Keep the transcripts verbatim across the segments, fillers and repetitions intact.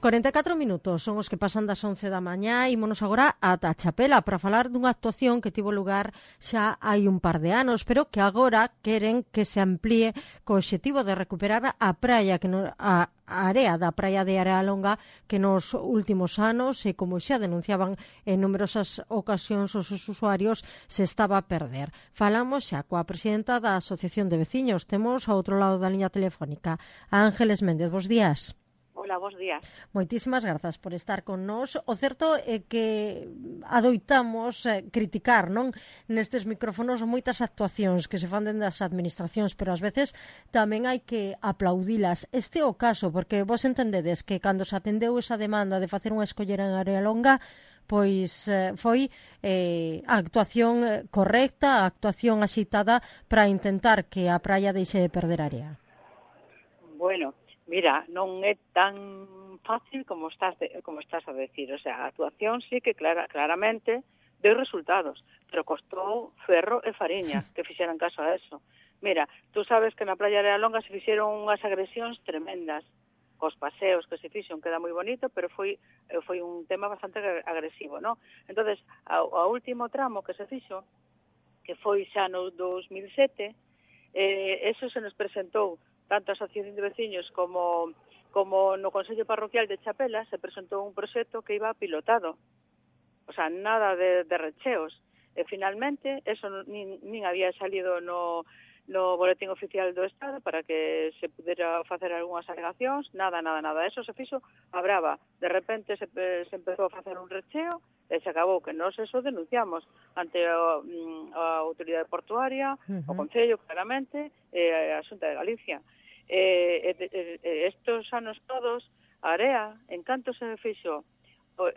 cuarenta e catro minutos son os que pasan das once da mañá e ímonos agora ata a Chapela para falar dunha actuación que tivo lugar xa hai un par de anos, pero que agora queren que se amplíe co obxectivo de recuperar a praia, que no, a, a area da praia de Arealonga que nos últimos anos, e como xa denunciaban en numerosas ocasións os usuarios, se estaba a perder. Falamos xa coa presidenta da Asociación de Veciños. Temos ao outro lado da liña telefónica a Ángeles Méndez. Bos días. Hola, bos días. Moitísimas grazas por estar con nós. O certo é que adoitamos eh, criticar, non, nestes micrófonos moitas actuacións que se fan dende as administracións, pero ás veces tamén hai que aplaudilas. Este é o caso, porque vos entendedes que cando se atendeu esa demanda de facer unha escollera en Arealonga, pois eh, foi eh, a actuación correcta, a actuación axitada para intentar que a praia deixe de perder área. Bueno, mira, non é tan fácil como estás de, como estás a decir. O sea, a actuación sí que clara, claramente deu resultados, pero costou ferro e fariña que fixeran caso a eso. Mira, tú sabes que na praia de Arealonga se fixeron unhas agresións tremendas, cos paseos que se fixon, queda moi bonito, pero foi foi un tema bastante agresivo, ¿no? Entonces, ao, ao último tramo que se fixo, que foi xa no dos mil sete, eh, eso se nos presentou tanto a Asociación de Veciños como, como no Consello Parroquial de Chapela, se presentou un proxecto que iba pilotado. O sea, nada de, de recheos. E finalmente, eso nin, nin había salido no, no Boletín Oficial do Estado para que se pudera facer algunhas alegacións, nada, nada, nada. Eso se fixo a brava. De repente se, se empezou a facer un recheo e se acabou, que nós eso denunciamos ante a, a Autoridade Portuaria, uh-huh. o Concello, claramente, e a Xunta de Galicia. E, e, e, estos anos todos, a area, en canto se fixo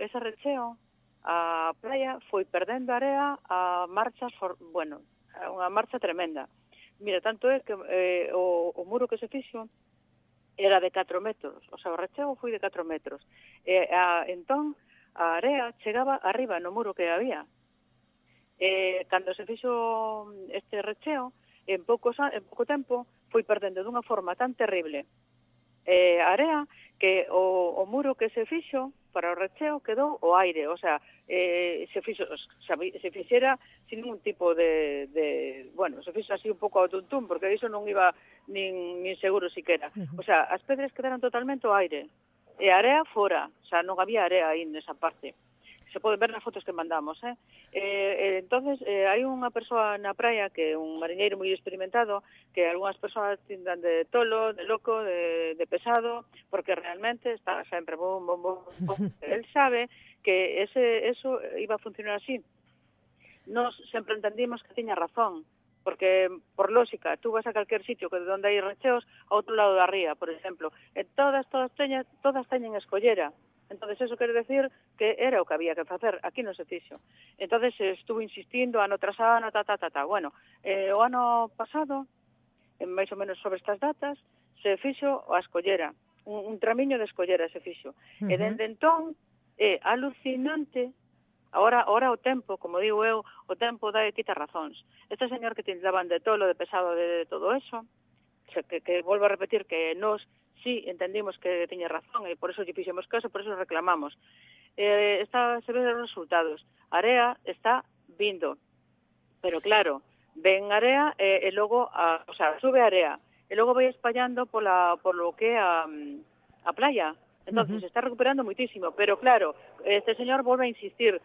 ese recheo, a praia foi perdendo area a marchas, for, bueno, a unha marcha tremenda. Mira, tanto é que eh, o, o muro que se fixo era de catro metros, o sea, o recheo foi de catro metros. E, a, entón, a area chegaba arriba no muro que había. Eh, cando se fixo este recheo, en, poucos, en pouco tempo, foi perdendo dunha forma tan terrible eh, a area que o, o muro que se fixo para o recheo quedou o aire, o sea, eh, se fixo, se fixera sin ningún tipo de, de bueno, se fixo así un pouco ao tuntún, porque iso non iba nin, nin seguro siquera. O sea, as pedras quedaron totalmente o aire, e a area fora, o sea, non había area aí nesa parte. Se poden ver nas fotos que mandamos, eh? eh entonces, eh, hai unha persoa na praia que é un mariñeiro moi experimentado, que algunhas persoas tindan de tolo, de loco, de, de pesado, porque realmente está sempre bom, bom, bom, bom. Él sabe que ese eso iba a funcionar así. Nos sempre entendimos que tiña razón, porque, por lógica, tú vas a calquer sitio que onde hai recheos, ao outro lado da ría, por exemplo, e todas, todas teñen, todas teñen escollera. Entonces, eso quere decir que era o que había que facer. Aquí non se fixo. Entonces, estuvo insistindo ano tras ano, ta, ta, ta, ta. Bueno, eh, o ano pasado, en máis ou menos sobre estas datas, se fixo a escollera. Un, un tramiño de escollera se fixo. Uh-huh. E dende entón, é alucinante. Ahora, ahora o tempo, como digo eu, o tempo dá e quita razóns. Este señor que tindaban de tolo, de pesado, de, de todo eso, que, que volvo a repetir que nos sí, entendimos que tiña razón e por eso lle fixemos caso, por eso reclamamos. Eh, está, se ven os resultados. A area está vindo, pero claro, ven area e, e logo, a, o sea, sube a area e logo vai espallando pola, por lo que a, a playa. Entonces, uh-huh. se está recuperando muitísimo, pero claro, este señor volve a insistir.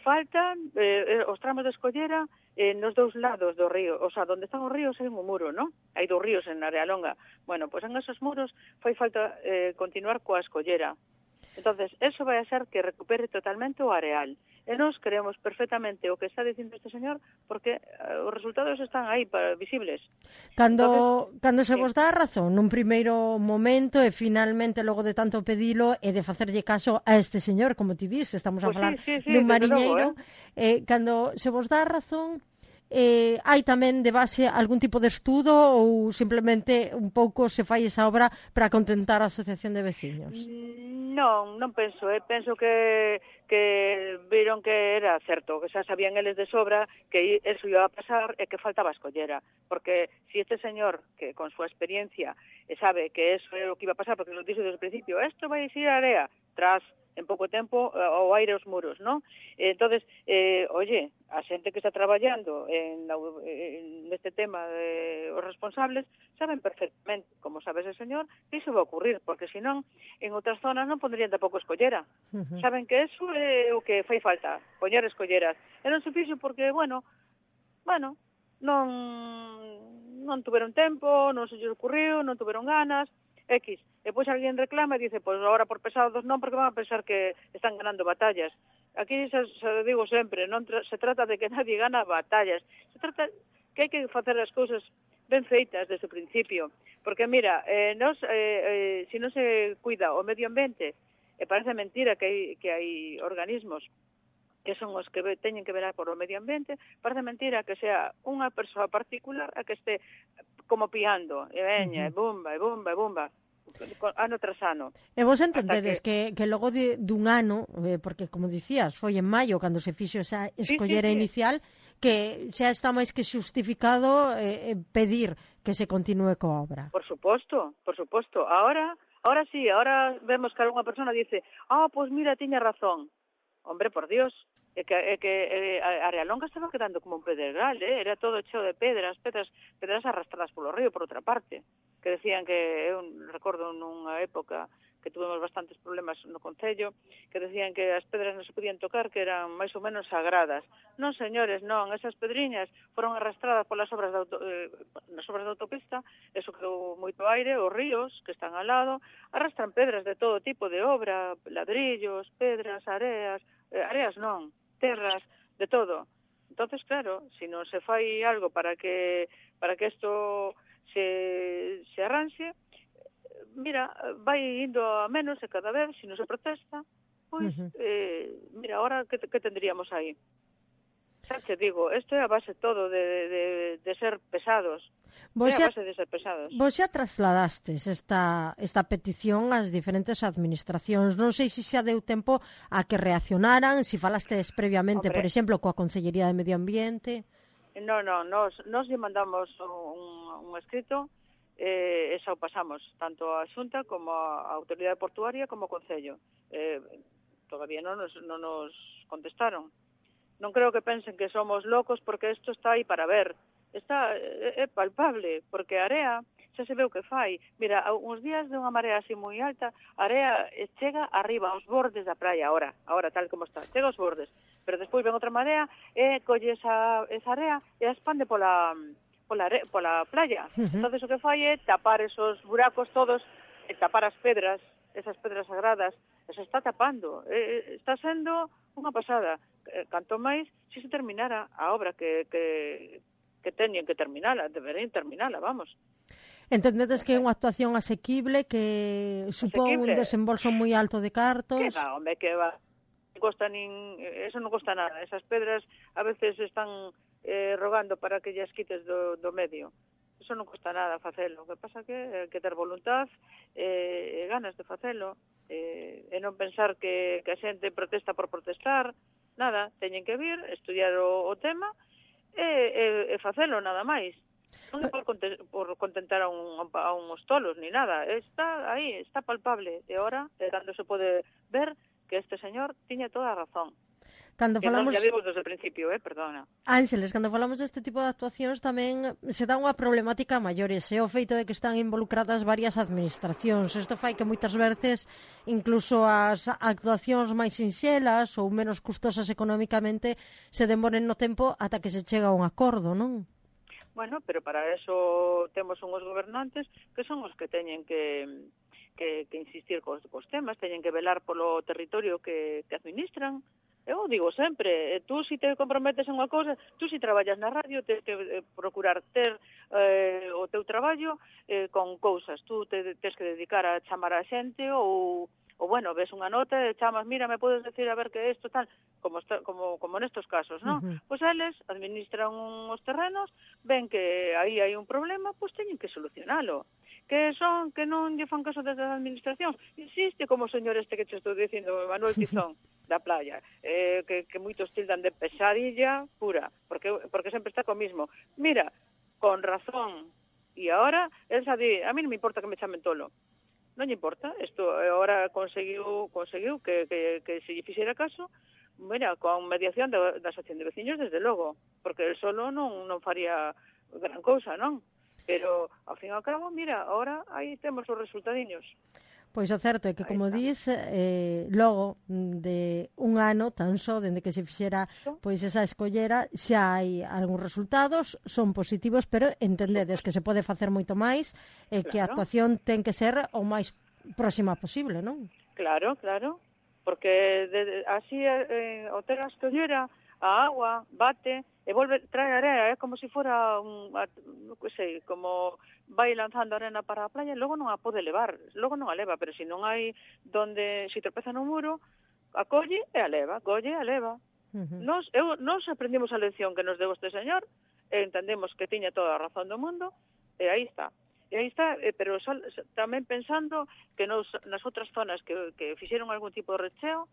Faltan eh, os tramos de escollera eh, nos dous lados do río, o sea, onde están os ríos hai un muro, ¿no? Hai dous ríos en Arealonga. Bueno, pois pues en esos muros fai falta eh, continuar coa escollera. Entonces, eso vai a ser que recupere totalmente o areal. E nós creemos perfectamente o que está dicindo este señor porque uh, os resultados están aí para, visibles. Cando, Entonces, cando se vos dá a razón nun primeiro momento e finalmente logo de tanto pedilo e de facerlle caso a este señor, como ti dis, estamos a pues falar sí, sí, sí, dun mariñeiro, logo, eh? eh, cando se vos dá a razón, eh, hai tamén de base algún tipo de estudo ou simplemente un pouco se fai esa obra para contentar a Asociación de Veciños? Non, non penso, eh? penso que, que viron que era certo, que xa sabían eles de sobra que eso iba a pasar e que faltaba escollera, porque si este señor, que con súa experiencia sabe que eso é o que iba a pasar, porque lo dixo desde o principio, esto vai a ir a area, tras en pouco tempo ao aire os muros, non? Entonces, eh, oye, a xente que está traballando en, en neste tema de os responsables saben perfectamente, como sabe ese señor, que iso va a ocurrir, porque senón en outras zonas non pondrían tampouco escollera. Uh-huh. Saben que eso é o que fai falta, poñer escolleras. E non se fixo porque, bueno, bueno, non non tuveron tempo, non se lles ocurriu, non tuveron ganas, X. E pois alguén reclama e dice, pois agora por pesados non, porque van a pensar que están ganando batallas. Aquí se, se digo sempre, non tra se trata de que nadie gana batallas, se trata que hai que facer as cousas ben feitas desde o principio, porque mira, eh, nos, eh, eh, si non se cuida o medio ambiente, e parece mentira que hai, que hai organismos que son os que teñen que velar por o medio ambiente, parece mentira que sea unha persoa particular a que este como piando, e veña, uh -huh. e bumba, e bumba, e bumba, ano tras ano. E vos entendedes que... que, que logo de, dun ano, eh, porque como dicías, foi en maio cando se fixo esa escollera sí, sí, sí. inicial, que xa está máis que xustificado eh, pedir que se continúe coa obra. Por suposto, por suposto. Ahora, ahora sí, ahora vemos que algunha persona dice, ah, oh, pois pues mira, tiña razón. Hombre, por Dios, é que, é que é, a Realonga estaba quedando como un pedregal, eh? Era todo cheo de pedras, pedras, pedras arrastradas polo río, por outra parte, que decían que, eu recordo nunha época que tuvemos bastantes problemas no Concello, que decían que as pedras non se podían tocar, que eran máis ou menos sagradas. Non, señores, non, esas pedriñas foron arrastradas polas obras de auto, eh, nas obras de autopista, eso quedou moito aire, os ríos que están ao lado, arrastran pedras de todo tipo de obra, ladrillos, pedras, areas, eh, areas non, terras, de todo. Entonces, claro, se si non se fai algo para que para que isto se, se arranxe, mira, vai indo a menos e cada vez, se si non se protesta, pois, uh -huh. eh, mira, ahora que, que tendríamos aí? Xa te digo, isto é a base todo de, de, de ser pesados. Vos é a base de ser pesados. Vos xa trasladastes esta, esta petición ás diferentes administracións. Non sei se xa deu tempo a que reaccionaran, se si falastes previamente, Hombre. por exemplo, coa Consellería de Medio Ambiente. Non, non, nos, nos lle mandamos un, un escrito, eh, esa o pasamos, tanto a Xunta como a Autoridade Portuaria como o Concello. Eh, todavía non nos, non nos contestaron. Non creo que pensen que somos locos porque isto está aí para ver. Está, é, é palpable, porque a area xa se ve o que fai. Mira, uns días de unha marea así moi alta, a area chega arriba, aos bordes da praia, ahora, ahora tal como está, chega aos bordes. Pero despois ven outra marea e colle esa, esa area e a expande pola, pola, pola playa. Uh -huh. Entonces o que fai é tapar esos buracos todos, e tapar as pedras, esas pedras sagradas, e se está tapando. E, está sendo unha pasada. Canto máis, se se terminara a obra que, que, que teñen que terminala, deberían terminala, vamos. Entendedes que é unha actuación asequible, que supón asequible. un desembolso moi alto de cartos? Que va, hombre, que va. Non costa nin, eso non costa nada. Esas pedras a veces están eh, rogando para que llas quites do, do medio. Eso non costa nada facelo. O que pasa que hai que ter voluntad e eh, ganas de facelo, eh, e non pensar que, que a xente protesta por protestar. Nada, teñen que vir, estudiar o, o tema e, e, e facelo, nada máis. Non é por, por contentar a, un, a uns tolos, ni nada. Está aí, está palpable. E ahora, é cando se pode ver que este señor tiña toda a razón. Cando falamos... Que non, ya digo desde o principio, eh, perdona. Ángeles, cando falamos deste tipo de actuacións tamén se dá unha problemática maiores, é o feito de que están involucradas varias administracións. Isto fai que moitas veces incluso as actuacións máis sinxelas ou menos custosas económicamente se demoren no tempo ata que se chega a un acordo, non? Bueno, pero para eso temos unhos gobernantes que son os que teñen que, que, que insistir cos, cos temas, teñen que velar polo territorio que, que administran. Eu digo sempre, tú si te comprometes en unha cousa, tú si traballas na radio, tens que eh, procurar ter eh, o teu traballo eh, con cousas. Tú te tens que dedicar a chamar a xente ou, ou bueno, ves unha nota e chamas, mira, me podes decir a ver que isto tal, como está, como como nestos casos, non? Uh-huh. Pois eles administran uns terrenos, ven que aí hai un problema, pois teñen que solucionalo. Que son, que non lle fan caso desde a administración. Insiste como o señor este que te estou dicindo, Manuel Tizón, da playa, eh, que, que moitos tildan de pesadilla pura, porque porque sempre está co mismo. Mira, con razón, e agora, el xa di, a mí non me importa que me chamen tolo. Non lle importa, isto agora conseguiu, conseguiu que, que, que se lle fixera caso, mira, con mediación da, da asociación de veciños, desde logo, porque el solo non, non faría gran cousa, non? Pero, ao fin e ao cabo, mira, ahora aí temos os resultadiños. Pois o certo é que, como dís, eh, logo de un ano tan só, dende que se fixera pois esa escollera, xa hai algúns resultados, son positivos, pero entendedes que se pode facer moito máis e claro, que a actuación ten que ser o máis próxima posible, non? Claro, claro, porque de, así eh, o ter a escollera, a agua bate e volve, trae area, é como se fora un, non sei, como vai lanzando arena para a playa e logo non a pode levar, logo non a leva, pero se non hai donde, se tropeza no muro, a colle e a leva, colle e a leva. Uh-huh. Nos, eu, nos aprendimos a lección que nos deu este señor, e entendemos que tiña toda a razón do mundo, e aí está. E aí está, eh, pero sol, tamén pensando que nos, nas outras zonas que, que fixeron algún tipo de recheo,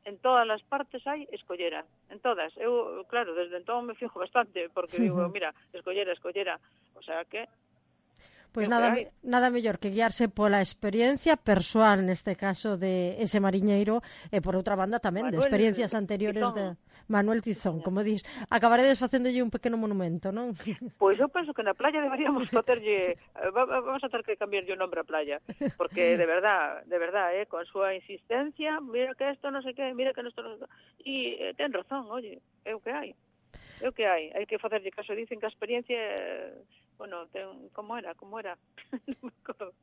en todas as partes hai escollera, en todas. Eu, claro, desde entón me fijo bastante, porque digo, mira, escollera, escollera, o sea que... Pois nada, nada mellor que guiarse pola experiencia persoal, neste caso, de ese mariñeiro, e por outra banda tamén Manuel, de experiencias anteriores Tizón. de Manuel Tizón, como dis. Acabaredes facéndolle un pequeno monumento, non? Pois eu penso que na playa deberíamos facerlle, vamos a ter que cambiarlle o nombre á playa, porque de verdad, de verdad, eh, con súa insistencia, mira que isto non sei que, mira que isto non sei que, e eh, ten razón, oye, é o que hai. É o que hai, hai que facerlle caso, dicen que a experiencia, bueno, ten, como era, como era?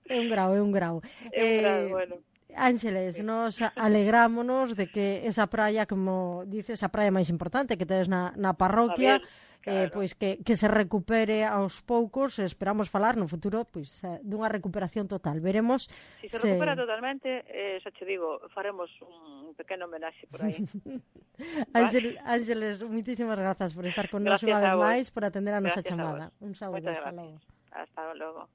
É un grau, é un grau. É un grau, eh, bueno. Ángeles, sí. Nos alegrámonos de que esa praia, como dices, a praia máis importante que tedes na, na parroquia, eh, pois que, que se recupere aos poucos. Esperamos falar no futuro pois dunha recuperación total. Veremos se se recupera se... totalmente, eh, xa che digo, faremos un pequeno homenaxe por aí. Ángel, Ángeles, muitísimas grazas por estar con nós unha vez máis, por atender a nosa chamada. Un saúdo, hasta logo. Hasta logo.